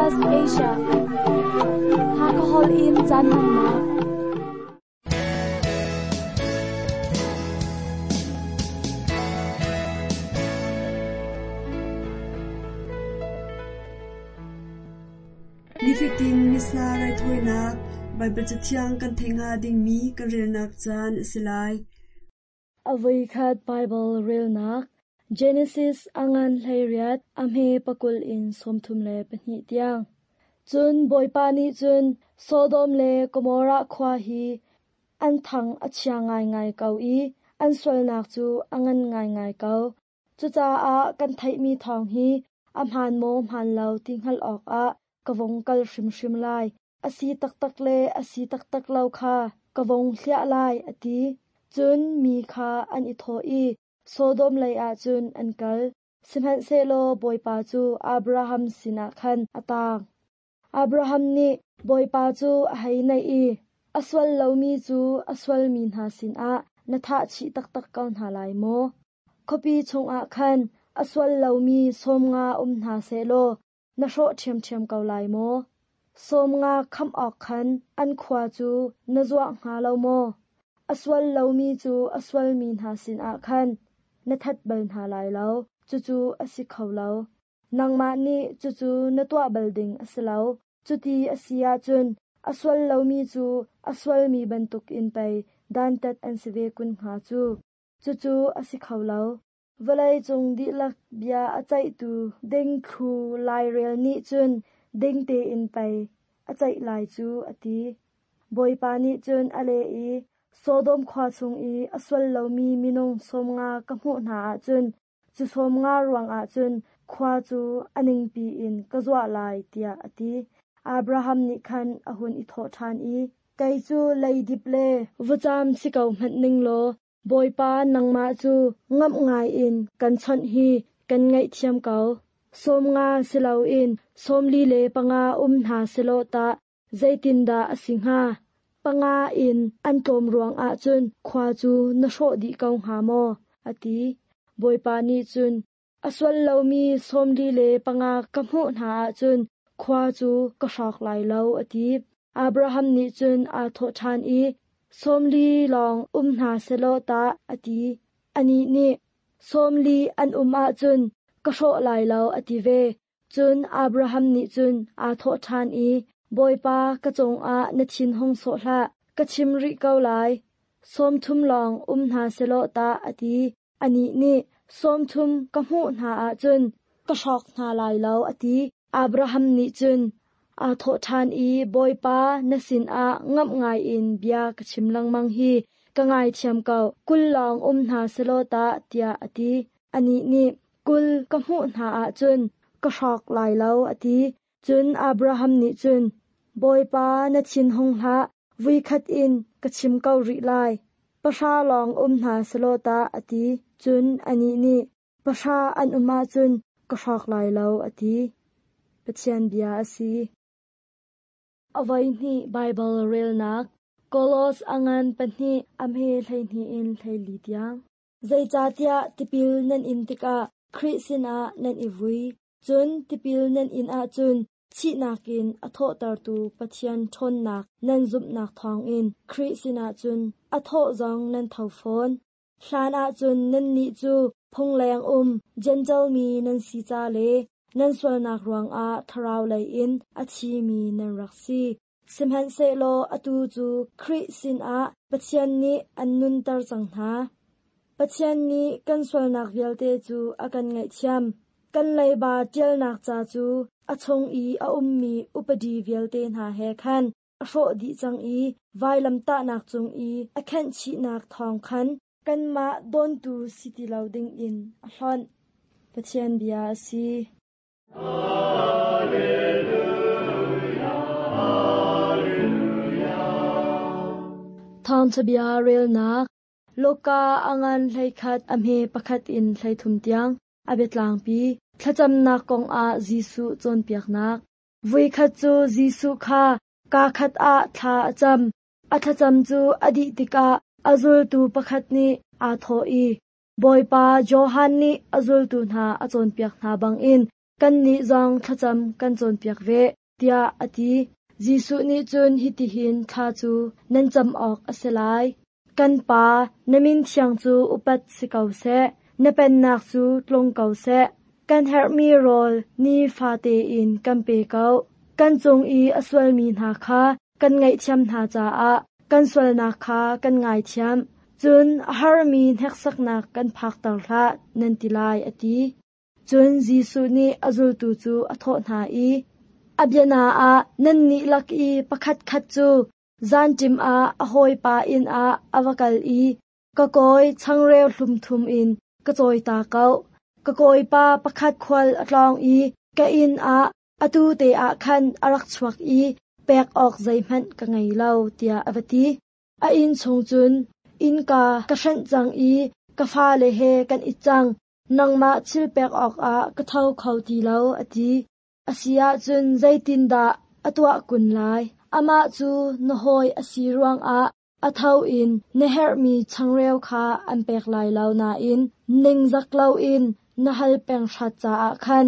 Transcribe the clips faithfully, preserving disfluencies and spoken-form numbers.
S B S Asia. Hakahol in caan hmannak. Nifatin Missa raithawinak Baibal Cathiang kan theih hnga dingmi kan relnak caan a si lai. Avoikhat Bible relnak Genesis angan hleiriat a hme pakul in sawmthum le pahnih tiang. Cun Bawipa nih cun Sodom le Gomorrah khua hi an thang a chia ngaingai ko i an sualnak cu a ngan ngaingai ko. Cucaah kan theihmi thawng hi a hmaan maw hmaan lo ti hngalh awkah ka vung kal hrimhrim lai. A si taktak le a si taktak lo kha ka vung hliah lai, a ti. Cun mi kha an i thawh i Sodom leiah cun an kal. Sihmanhsehlaw Bawipa cu Abraham sinah khan a taang. Abraham nih Bawipa cu a hei naih i, A sual lomi cu a sualmi hna sinah na thah chih taktak ko hna lai maw? Khuapi chungah khan a sual lomi sawm nga um hna sehlaw na hrawh ṭhiamṭhiam ko lai maw? Sawm nga khamh awk khan an khua cu na zuah hnga lo maw? A sual lomi cu a sualmi hna sinah khan na that bal hna lai lo, cucu a si kho lo. Nangmah nih cucu na tuah bal ding a si lo. Cuti a si ahcun a sual lomi cu a sualmi bantukin pei dantat an si ve kun hnga cu. Cucu a si kho lo. Vawlei cung dihlak bia a ceihtu ding thlu lairel nih cun ding tein pei a ceih lai cu, a ti. Bawipa nih cun a leh i, Sodom khua chung i a sual lomi minung sawm nga ka hmuh hna ahcun cu sawm nga ruangah cun khua cu a ningpi in ka zuah lai, tiah a ti. Abraham nih khan a hun i thawh ṭhan i, Kei cu leidip le vutcam si ko hmanh ning law, Bawipa nangmah cu ngamh ngaiin kan chawnh hi kan ngaihthiam ko. Sawm nga si loin sawmli le panga um hna selaw tah zeitindah a si hnga? Panga in an tlawm ruangah cun khua cu na hrawh dih ko hnga maw? A ti. Bawipa nih cun, A sual lomi sawmli le panga ka hmuh hna ahcun khua cu ka hrawk lai lo, a ti. Abraham nih cun aa thawh ṭhan i, Sawmli lawng um hna selaw tah, a ti. Anih nih, Sawmli an um ahcun ka hrawh lai lo, a ti ve. Cun Abraham nih cun aa thawh ṭhan i, Bawipa ka cungah na thin hung sawh hlah, ka chim rih ko lai. Sawmthum lawng um hna selaw tah, a ti. Anih nih, Sawmthum ka hmuh hna ahcun ka hrawk hna lai lo, a ti. Abraham nih cun aa thawh ṭhan i, Bawipa na sinah ngamh ngaiin bia ka chim lengmang hi ka ngaithiam ko, kul lawng um hna selaw tah, tiah a ti. Anih nih, Kul ka hmuh hna ahcun ka hrawk lai lo, a ti. Cun Abraham nih cun, Bawipa na thin hung hlah, voikhat in ka chim ko rih lai. Pahra lawng um hna selaw tah, a ti. Cun anih nih, Pahra an um ahcun ka hrawk lai lo, a ti. Pathian bia a si. Avoihnih Baibal relnak Kolos angan pahnih a hme hleihnih in hleili tiang. Zeicahtiah tipil nan in tikah Khrih sinah nan i vui. Cun tipil nan in ahcun thihnak in a thawhtertu Pathian ṭhawnnak nan zumhnak thawngin Khrih sinah cun a thawh zong nan tho fawn. Hlan ahcun nannih cu phungleng um Jentail mi nan si ca le nan sualnak ruangah thlarau lei in a thimi nan rak si. Sihmanhsehlaw atu cu Khrih sinah Pathian nih an nunter cang hna. Pathian nih kan sualnak vialte cu a kan ngaihthiam. Kan leiba ṭialnak ca cu a chung i a ummi upadi vialte hna he khan a hrawh dih cang i vailamtahnak cung i a khenhchihnak thawng khan kanmah dawntu si ti lo dingin a hlonh. Pathian bia a si. Thawngṭha bia relnak Luka angan hleikhat a hme pakhat in hleithum tiang a biatlangpi thlacamnak kongah Jesuh cawnpiaknak. Voikhat cu Jesuh kha kaa khat ah thla a cam. A thlacam cu a dih tikah a zultu pakhat nih aa thawh i, Bawipa Johan nih a zultu hna a cawnpiak hna bangin Kannih zong thlacam kan cawnpiak ve, tiah a ti. Jesuh nih cun hitihin thla cu nan cam awk a si lai. Kan Pa, na min thiang cu upat si ko seh. Na pennak cu tlung ko seh. Kan herhmi rawl nifate in kan pe ko. Kan cung i a sualmi hna kha kan ngaihthiam hna caah kan sualnak kha kan ngaithiam. Cun a harmi hneksaknak kan phakter hlah, nan ti lai, a ti. Cun Jesuh nih a zultu cu a thawh hna i, a biana ah nannih lak i pakhat khat cu zanṭim ah a hawipa inn ah a va kal i ka kawi changreu hlum thum in ka cawi ta ko. Ka kawipa pakhat khual a tlawng i ka inn ah atu te ah khan a rak chuak i pek awk zeihmanh ka ngei lo, tiah a va ti. A inn chung cun innka ka hrenh cang i ka fale he kan it cang. Nangmah thil pek awkah ka tho kho ti lo, a ti. A si ahcun zeitindah a tuah kun lai? Amah cu na hawi a si ruangah a tho in na herhmi changreu kha an pek lai lo nain ningzak loin na hal peng hrat caah khan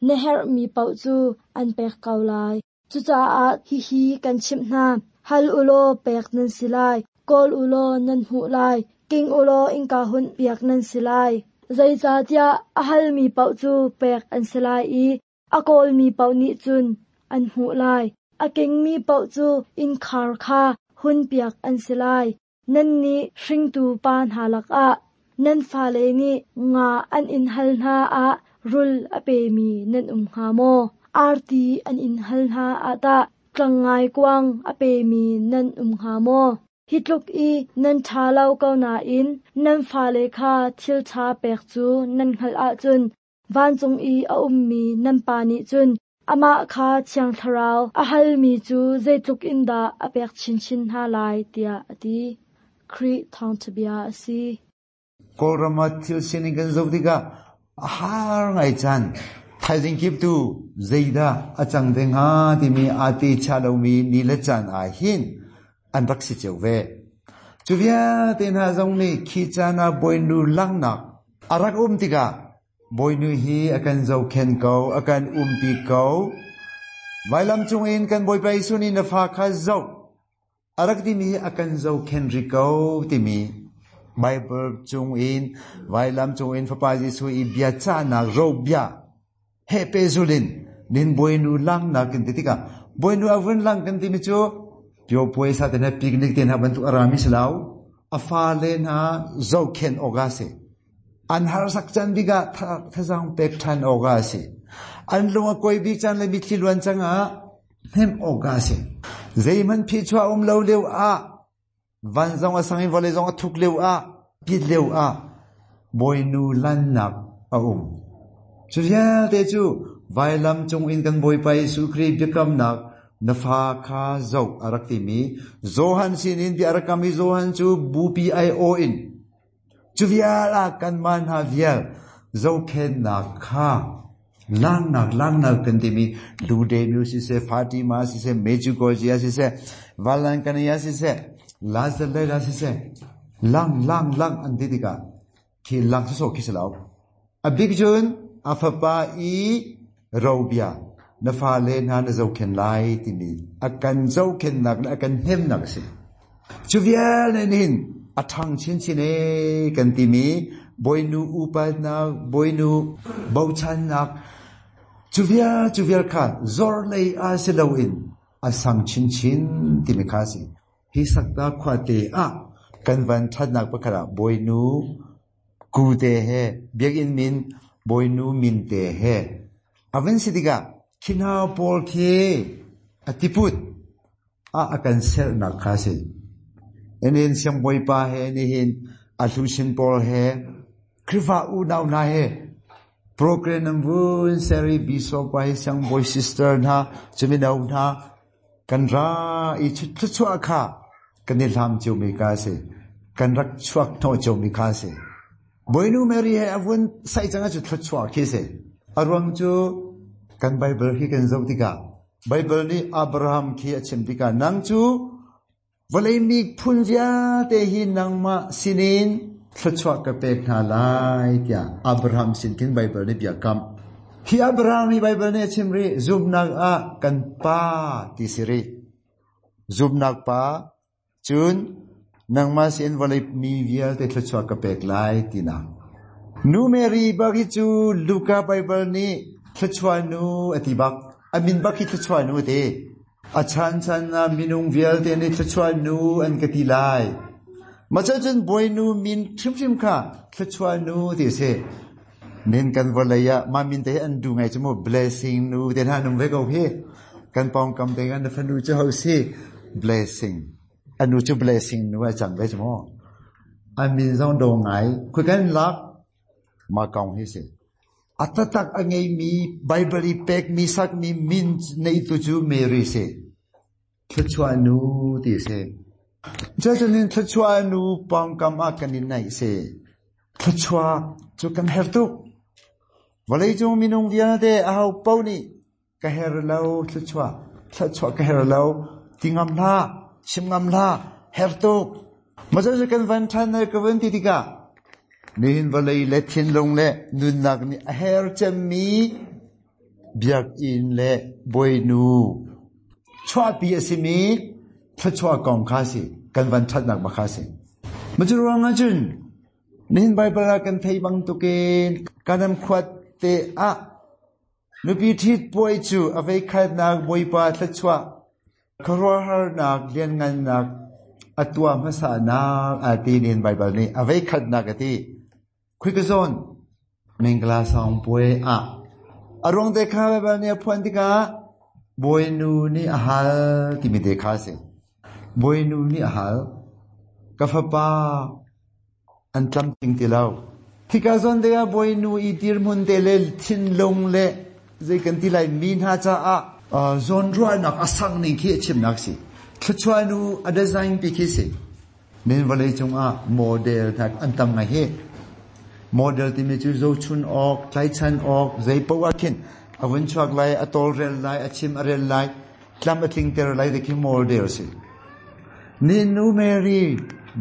na herhmi paoh cu an pek ko lai. Cucaah hihi kan chimh hna. Hal ulaw pek nan si lai, kawl ulaw nan hmuh lai, king ulaw innka hunh piak nan si lai. Zeicahtiah a halmi paoh cu pek an si lai i a kawlmi paoh nih cun an hmuh lai. A kingmi paoh cu innkhar kha hun piak an si lai. Nannih hringtu pa hna lakah nan fale nih nga an in hal hna ah rul a pemi nan um hnga maw? Arti an in hal hna ah tah tlangngai kuang a pemi nan um hnga maw? Hi tluk i nan ṭha lo ko nain nan fale kha thil ṭha pek cu nan hngalh ahcun vancung i a ummi nan Pa nih cun amah kha Thiang Thlarau a halmi cu zeitluk in dah a pek chinchin hna lai, tiah a ti. Khrih thawngṭha bia a si. Kawlram ah thil sining kan zoh tikah a har ngai caan. Thaizing kip tu zeidah a cang te hnga timi aa te cha lomi ni le caan ah hin an rak si cio ve. Cu vialte hna zong nih khi caan ah Bawinu langhnak a rak um tikah Bawinu hi a kan zohkhenh ko, a kan umpi ko. Vailam cungin kan Bawipa Jesuh nih na fa kha zoh a rak timi hi a kan zohkhenh rih ko timi Bible cungin vailam cungin Fapa Jesuh i bia cahnak ro bia he pehzulh nin Bawinu langhnak kan ti tikah Bawinu a vun lang kan timi cu pio puaisa te hna picnic te hna bantuk a rami si lo, a fale hna zohkhenh awk a si. An harsak caan bik ah thazaang pek ṭhan awk a si. An lung a kuai bik caan le mitthli luan cang ah hnemh awk a si. Zeihmanh phichuah um lo lio ah van zong a sang i vawlei zong a thuk lio ah pit lio ah Bawinu lannak a um. Cu vialte cu vailam cungin kan Bawipa Jesuh Khrih biakamnak na fa kha zoh a rak timi Johan sinin bia a rak kammi Johan cu bupi ai aw in cu vial ah kanmah hna vial zohkhenhnak kha langnak langnak kan timi Lourdes siseh, Fatima siseh, Medjugorje siseh, Vailankanni siseh, Lazarella siseh, lang lang lang an ti tikah khi lang sawsawh khi si lo. A bik cun a fapa i robia na fale hna na zohkhenh lai timi a kan zohkhenhnak le a kan hnemnak a si. Cu vial nih hin a ṭhang chinchin e kan timi Bawinu upatnak, Bawinu bochannak, cu vial cu vial kha zor lei ah si loin a sang chinchin timi kha a si. Hi Sakta khuate ah kan van ṭhatnak pakhat ah Bawinu ku te he biakinn min Bawinu min te he a van si tikah khi hna pawl khi a tiput ah a kan sernak kha a si. Nihin siangbawipa he nihin a hlusin pawl he Khrihfa unau hna he program nan vun seri bishop pa he siangbawi sister hna cumino hna kan ra i thluachuah kha kan i hlam ciomi kha a si. Kan rak chuak hnawh ciomi kha a si. Bawinu Mary he a vun saih cang ahcun thluachuah khi a si. A ruang cu kan Bible hi kan zoh tikah Bible nih Abraham khi a chim tikah nang cu vawlei mi phun vialte hi nangmah sinin thluachuah ka pek hna lai tiah Abraham sin khin Bible nih bia kamh. Hi Abraham hi Bible nih a chim rih zumnak ah kan pa ti si rih. Zumnak pa cun nangmah sin vawlei mi vialte thluachuah ka pek lai tinak. Nu Mary bak hi cu Luka Bible nih thluachuah nu a ti bak. A min bak hi thluachuah nu a ti. A chan chan ah minung vialte nih thluachuah nu an ka ti lai. Mah cun Bawinu min hrimhrim kha thluachuah nu ti si. Nin kan vawlei ah mah min te hi an duh ngai cu mu blessing nu te hna nung ve ko hi. Kan pawngkam te kan fanu cu ho si blessing. Anu cu blessing nu a cang ve cu mu. A min zong do ngai. Khui kan lak ma kong hi si. A tatak a ngeimi Bible i pekmi sakmi min neitu cu Mary si. Thluachuah nu ti si. Cucun thluachuah nu pawngkam ah kan in naih si. Thluachuah cu kan herh tuk. Vawleicung minung vialte aho paoh nih ka her lo thluachuah, thluachuah ka her lo ti ngam hlah, chim ngam hlah, her tuk. Mah cu kan van ṭhan ka vun ti tikah nihin vawlei le thinlung le nunnak nih a her cemmi biakinn le Bawinu chuahpi a simi thluachuah kong kha si kan van ṭhatnak bak kha si. Mah cu ruang ahcun nihin Bible ah kan thei bantukin kanam khuat te ah nupi ṭhit puai cu a veikhatnak Bawipa thluachuah khuaruahharnak lianngannak a tuah hmasanak a ti nihin Bible nih a veikhatnak a ti. Khui ka zawn mingla song puai ah a ruang te kha Bible nih a phuan tikah Bawinu nih a hal timi te kha si. Bawinu nih a hal ka fapa an tlamtling ti lo. Hika zawn tikah Bawinu i dirhmun te le thinlung le zei kan ti lai mi hna caah zawnruahnak a sang ning khi a chimnak si. Thluachuah nu a design pi khi si. Nin vawlei cungah model hna an tam ngai hi. Model timi cu zohchun awk, tlaichan awk, zei poah khin a vun chuak lai, a tawlrel lai, a chim a rel lai, tlam a tlingter lai ti khi model si. Ni nu Mary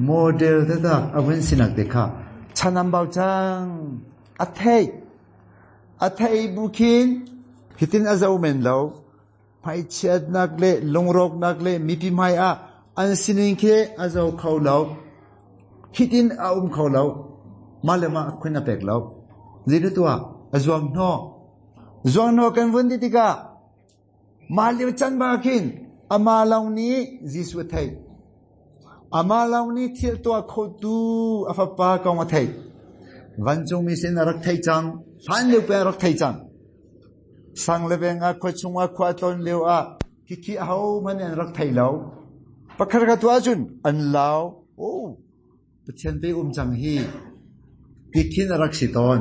model taktak a vun sinak te kha chanam bau cang a thei a thei bu khin hitin a zo men lo hmaichiatnak le lungrawknak le mipi hmai ah an sining khi a zo kho lo hitin a um kho lo mah le mah khun a pek lo zeidah tuah a zuang hnawh zuang hnawh kan vun ti tikah mah lio can ba khin amah lawng nih Jesuh a theih. Amah lawng nih thil tuah khotu a fapa kong a theih. Vancungmi sin a rak theih cang. Hlan lio pe a rak theih cang. Sang le veng ah khua chung ah khua tlawn lio ah khikhi ahohmanh an rak thei lo. Pakhat khat tuah ahcun an lau. Oh, Pathian pe um cang hi. Tikhin a rak si tawn.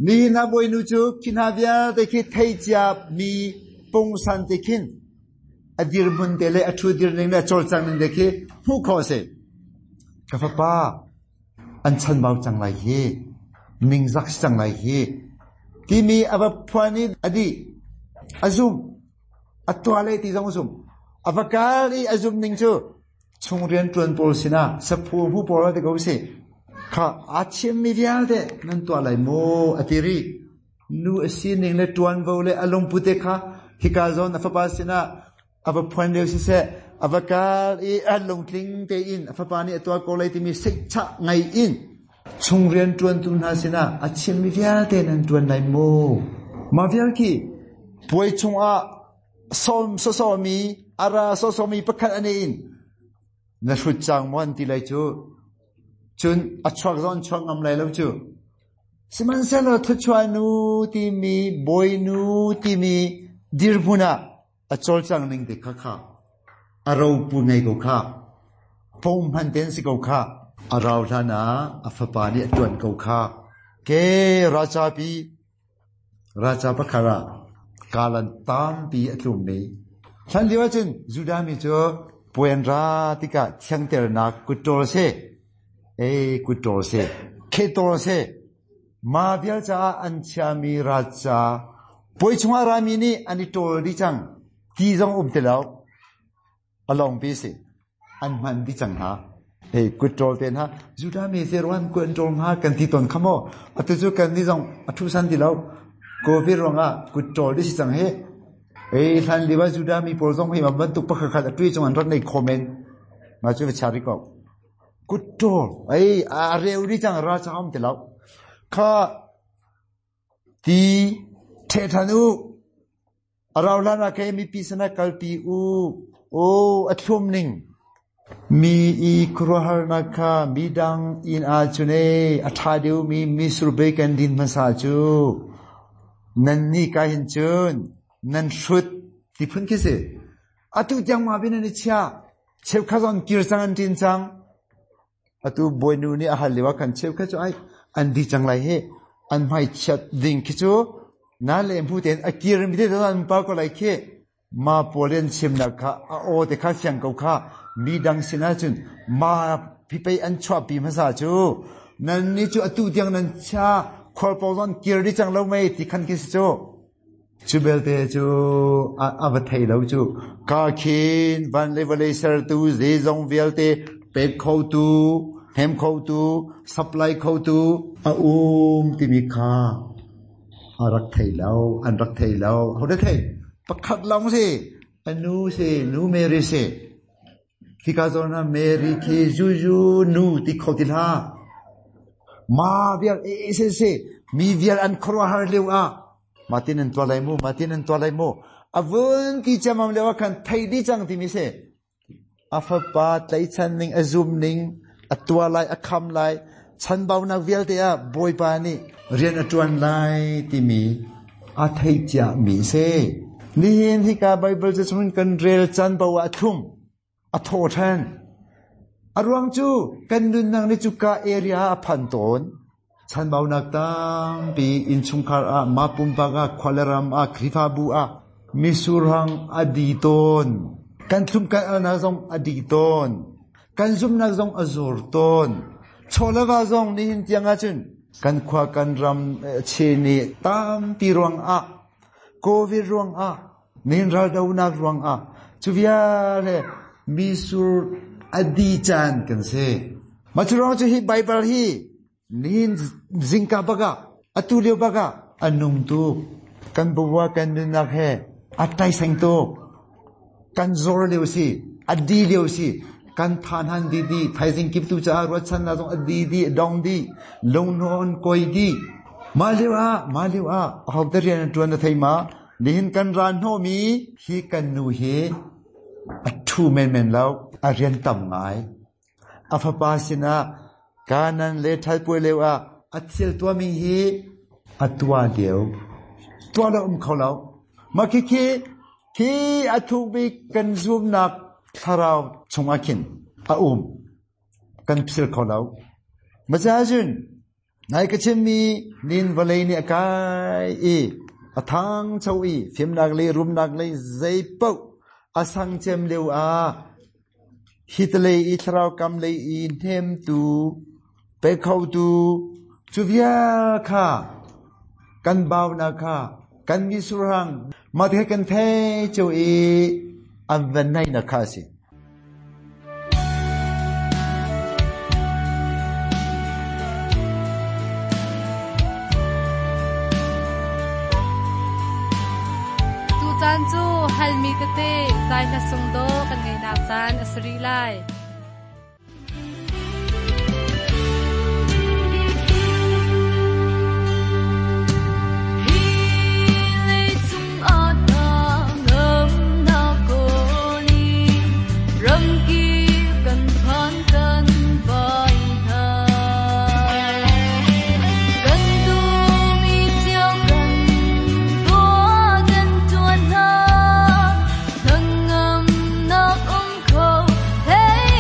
Nihin ah Bawinu cu khi hna vialte khi thei cia mi pungsan te khin a dirhmun te le a ṭhu dir ning le a cawlcang ning te khi hmuh khawh a si. Ka fapa an chanbau cang lai hi, ningzak si cang lai hi, timi a va phuan i a dih, a zum, a tuah le ti zong a zum. A va kal i a zum ning cu chung rianṭuan pawl sinah saphu hu pawl te ko si. Kha aa chimmi vialte nan tuah lai maw a ti rih. Nu a sining le ṭuanvo le a lungput te kha hika zawn a fapa sinah a va phuan lio siseh, a va kal i a lungtling tein a fapa nih a tuah ko lai timi seihchah ngai in chung rianṭuantu hna sinah a chimmi vialte nan ṭuan lai maw? Mah vial khi puai chungah sawm sawsawmi a ra sawsawmi pakhat a in na hrut cang maw an ti lai cu. Cun a chuak zong an chuak ngam lai lo cu. Sihmanhsehlaw thluachuah nu timi Bawinu timi dirhmun ah a cawlcang ning te kha kha a ropu ngei ko kha pom hman ten si ko kha a rau hlan ah a fapa nih a ṭuan ko kha ke raca pi raca pakhat ah kalan tampi a tlummi hlan lio ahcun Judah mi cu puan ra tikah thiangternak kutṭawl si e kutṭawl si khetol si ma vial caah an chiami raca puai chungah rami nih an i ṭawl dih cang ti zong um ti lo a lawngpi si an hman dih cang hna hei kutṭawl te hna Judah mi te ruan ku an ṭawl hnga kan ti tawn kha maw atu cu kan ni zong a ṭhu san ti lo Covid ruangah kut ṭawl dih si cang hi. Ei hlan liwa Judah mi pawl zong hi ma bantuk pakhat a tui chung an rak nei khomen. Ma chu chari ko. Kut ṭawl ei a reu di cang ra cham ti lo. Kha ti the thanu araw lana ke mi pi sana kalpi u o athum ning mi i kruhar na kha mi dang in a chune a tha deu mi misur be kan din masa chu nan ni ka hin chun nan hrut ti phun ki se atu tiang ma bin ani chia cheu kha zon kir chang an tin chang atu boinu ni a hal lewa kan cheu kha chu ai an di chang lai he an mai chat ding ki chu na le mu ten akir mi te an pa ko lai khe ma polen chim na kha a o te kha siang ko kha mi dang sina chun ma pi pe an chwa pi ma sa chu nan ni chu atu tiang nan cha khol po zon kir di chang lo mai ti khan ki chu chu bel te chu a a va thei lo chu ka khin van le vale sar tu ze zong vial te pe kho tu hem kho tu supply kho tu a um ti mi kha a rak thei lo an rak thei lo ho de thei pakhat long si anu si nu Mary si khi ka zon na Mary khi ju ju nu ti kho ti la ma vial e se se mi vial an khro har leu a matin an to lai mu matin an to lai mu avun ki chamam lewa khan thei di chang ti mi se afa pa tlai chan ning azum ning atua lai akham lai chan bau nak vial te a boi pa ni rian atuan lai ti mi a thei cha mi se ni hin hi ka Bible che chun kan rel chan bau a thum a tho than aruang chu kan nun nang ni chu ka area a phan ton chan bau nak tam pi in chung khar a ma pum pa ga khwalaram a khrifa bu a misurhang adi ton kan thum kan ana zong adi ton kan zum nak zong azur ton cholawa zong ni hin tianga chun kan khwa kan ram che ni tam pi ruang a covid ruang a nin ral do nak ruang a chuvia le misur adi chan kan se ma churong chu hi Bible hi nin zingka baga atu leo baga anung tu kan buwa kan nun nak he atai seng tu kan zor leo si adi leo si kan than han di di thai jing kip tu cha ro chan na zong adi di dong di long non koi di ma leo a ma leo a hok de rian tuan na thai ma nihin kan ran ho mi hi kan nu he a thu men men lo a rian tam ngai a fa pa sina kanan le thal pui leo a a thil tua mi hi a tua leo tua lo um kho lo ma khi khi khi a thu bi kan zoom nak tharau chunga khin a um kan phil kho lo ma cha jun nai ka chim mi nin valei ni akai i a thang chau i phim nak le rum nak le zei pau a sang chem leo a hitle i tharau kam le i nem tu pe khau tu chu via kha kan bau na kha kan mi surang ma the kan the chu i an van nai na kha si Tu caan cu halmi tete zai hla sung do kan ngei nak caan a sari lai. Hey!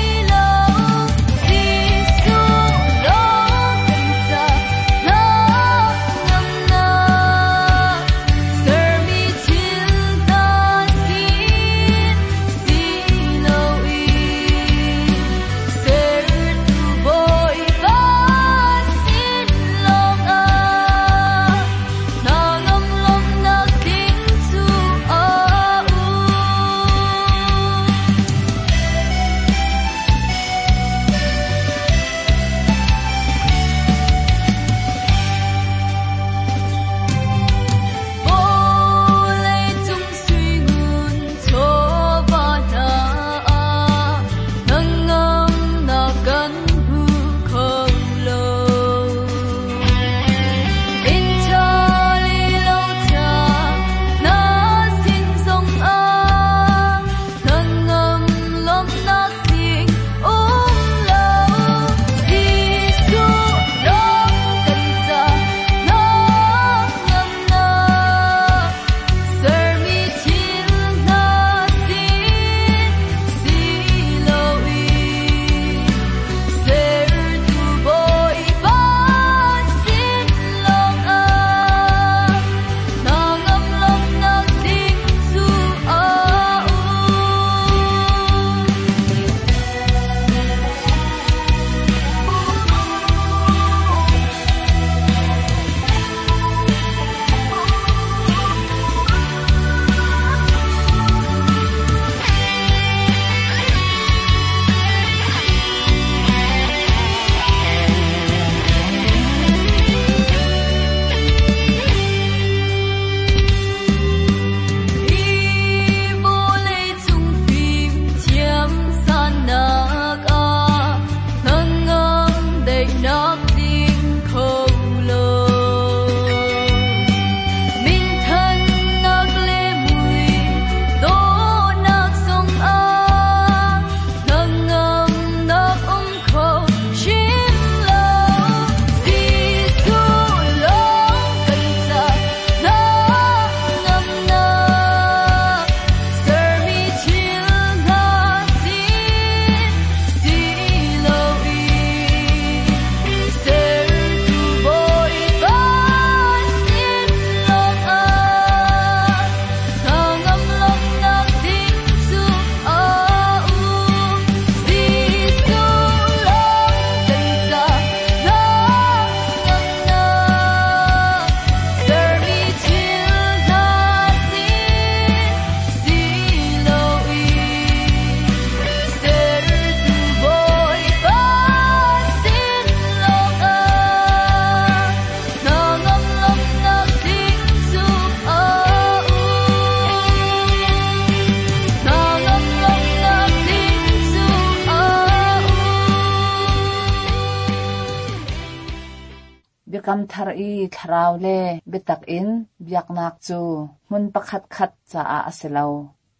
Biakam thar i thlarau le biatak in biaknak cu hmun pakhat khat caah a si lo.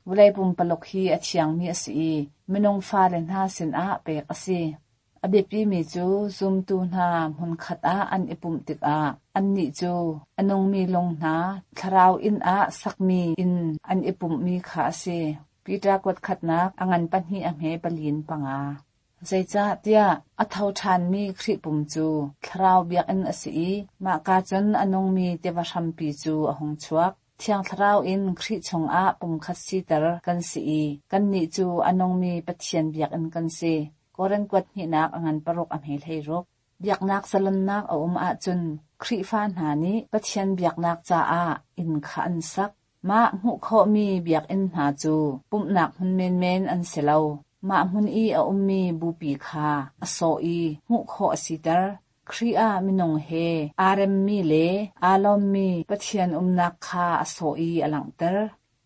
Vawlei pumpaluk hi a thiangmi a si i minung fale hna sinah pek a si. A biapimi cu zumtu hna hmunkhat ah an i pumh tikah annih cu a nungmi lung hna thlarau inn ah sakmi inn an i pumhmi kha a si. Peter kuat khatnak a ngan pahnih a hme palin panga. Zeicahtiah a tho ṭhanmi Khrih pum cu thlarau biakinn a si i mahka cun a nungmi tiva hrampi cu a hung chuak. Thiang Thlarau in Khrih chungah pumkhat siter kan si i kannih cu a nungmi Pathian biakinn kan si. Korin kuat hnihnak a ngan paruk a hme hleiruk. Biaknak zalonnak a um ahcun Khrihfa hna nih Pathian biaknak caah inn kha an sak. Mah hmuh khawhmi biakinn hna cu pumhnak hmun menmen an si lo. Mah hmun i a ummi bupi kha a sawh i hmuh khawh a siter. Khrih ah minung he aa remmi le aa lawmmi Pathian umnak kha a sawh i a langhter.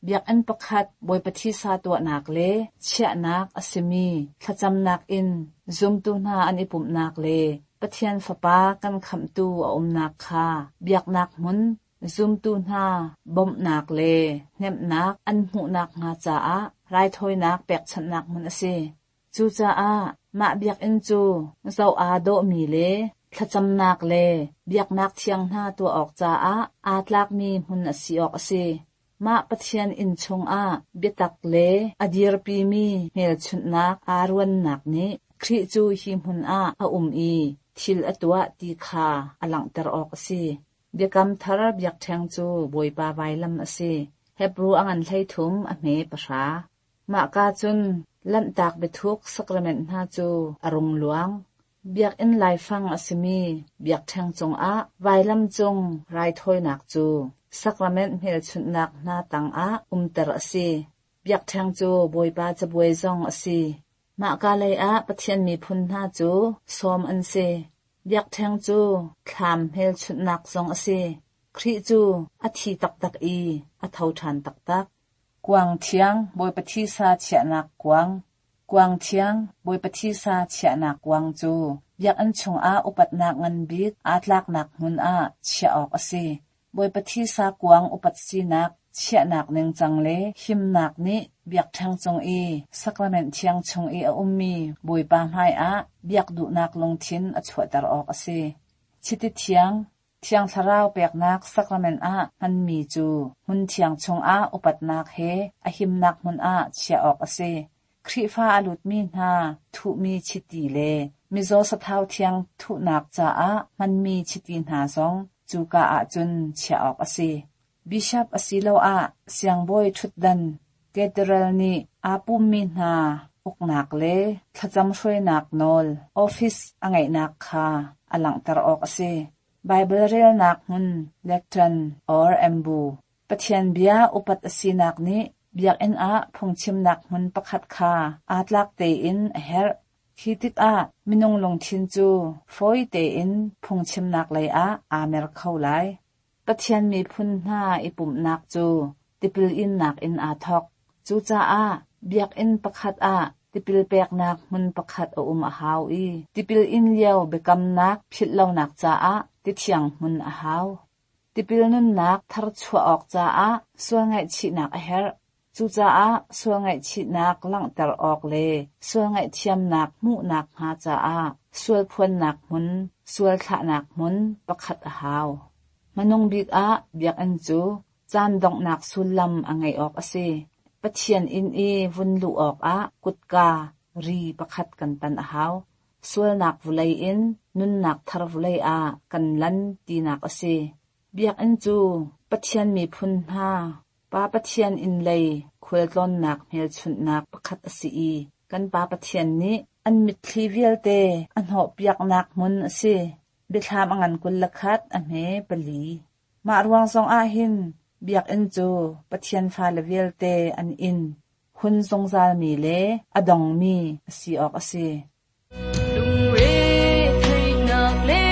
Biakinn pakhat Bawipa thisa tuahnak le chiahnak a simi thlacamnak in zumtu hna an i pumhnak le Pathian Fapa kan khamhtu a umnak kha biaknak hmun zumtu hna bawmhnak le hnemhnak an hmuhnak hnga caah raithawinak pekchanhnak hmun a si. Cucaah mah biakinn cu zoh aa dawhmi le thlacamnak le biaknak thiang hna tuah awk caah aa tlakmi hmun a si awk a si. Mah Pathian inn chungah biatak le a dirpimi hmelchunhnak aa ruannak nih Khrih cu hi hmun ah a um i thil a tuah ti kha a langhter awk a si. Biakam thar biakṭheng cu Bawipa vailam a si. Hebru a ngan hleithum a hme pahra. Mahka cun Lanhtak biathuk sakrament hna cu a rung luang. Biakinn laifang a simi biakṭheng cungah vailam cung raithawinak cu sakrament hmelchunhnak hna tangah umter a si. Biakṭheng cu Bawipa cabuai zong a si. Mahka lei ah Pathian miphun hna cu sawm an si. Biakṭheng cu thlam hmelchunhnak zong a si. Khrih cu a thi taktak i a tho ṭhan taktak. Kuang thiang Bawipa thisa chiahnak kuang. Kuang thiang Bawipa thisa chiahnak kuang cu biakinn chungah upatnak ngan bik aa tlaknak hmun ah chiah awk a si. Bawipa thisa kuang upat sinak chiahnak ningcang le himnak nih biakṭheng cung i sakrament thiang chung i a ummi Bawipa hmaiah biak duhnak lungthin a chuahter awk a si. Chiti thiang Thiang Thlarau peknak sakrament ah hmanmi cu hmun thiang chungah upatnak he a himnak hmun ah chiah awk a si. Khrihfa a lutmi hna thuhmi chiti le mizaw sathau thiang thuhnak caah hmanmi chiti hna zong cuka ahcun chiah awk a si. Bishop asiloah siangbawi ṭhutdan cathedral nih aa pummi hna uknak le thlacam hruainak nawl office a ngeihnak kha a langhter awk a si. Bible relnak hmun lectern or ambu. Pathian bia upat a sinak nih biakinn ah phungchimnak hmun pakhat kha aa tlak tein a herh. Khi tikah minung lungthin cu fawi tein phungchimnak lei ah aa mer kho lai. Pathian miphun hna i pumhnak cu tipil innak in aa thawk. Cucaah biakinn pakhat ah tipil peknak hmun pakhat a um a hau i tipil in lio biakamnak philhlonak caah tithiang hmun a hau. Tipil nunnak thar chuah awk caah sual ngaihchihnak a herh. Cucaah sual ngaihchihnak langhter awk le sual ngaihthiamnak hmuhnak hnga caah sual phuannak hmun, sual thlahnak hmun pakhat a hau. Hmanung bik ah biakinn cu caan donghnak sullam a ngeih awk a si. Pathian inn i vun luh awkah kutka ri pakhat kan tan a hau. Sualnak vulei in nunnak thar vulei ah kan lan tinak a si. Biakinn cu Pathian miphun hna Pa Pathian inn lei khualtlawnnak hmelchunhnak pakhat a si i kan Pa Pathian nih an mitthli vialte a hnawhpiaknak hmun a si. Biathlam a ngan kul le khat a hme pali. Mah ruang zong ah hin biakinn cu Pathian fale vialte an inn, hun zungzalmi le a dongmi a si awk a si. Lungre theihnak le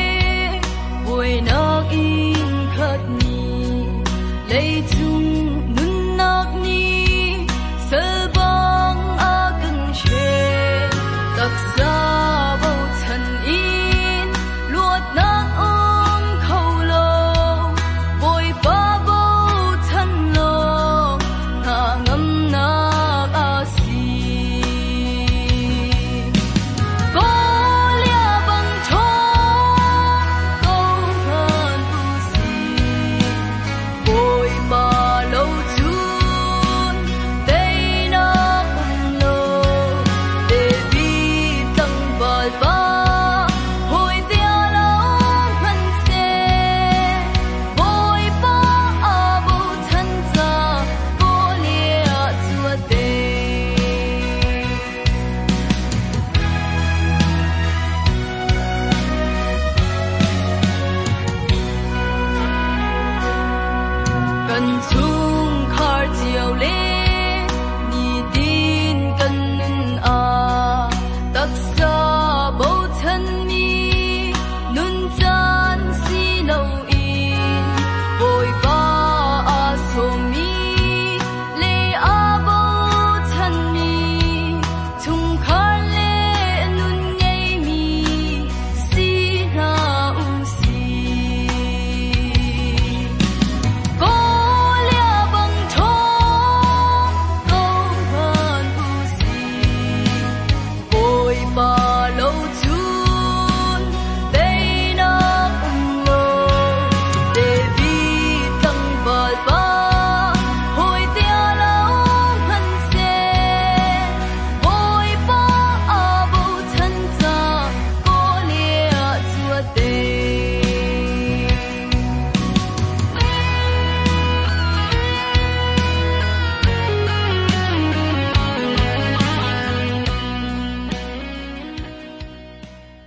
buainak in khat ni, leicung nunnak nih sal bang a kan hren. Taksa bochan in luatnak um kho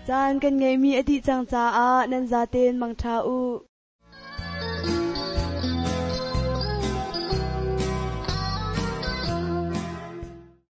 Caan kan ngeihmi a dih cang caah nan zaten mangṭha u.